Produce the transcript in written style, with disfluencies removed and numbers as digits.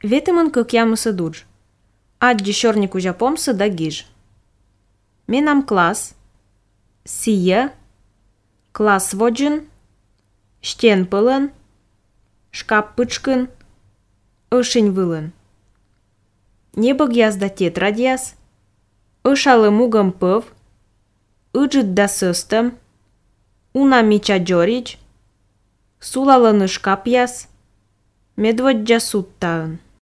Ветемын кăкямă să duci. Aģi șornicu japom să da gij. Menam clas, sije, clas vodžin, știen pălân, șcap păčkân, ășini vâlân. Nebăghias da tetradias, ășa lămugăm păv, ăgit da săstăm, una micea giorici, sula lănă șcapias, medvădgea suttaân.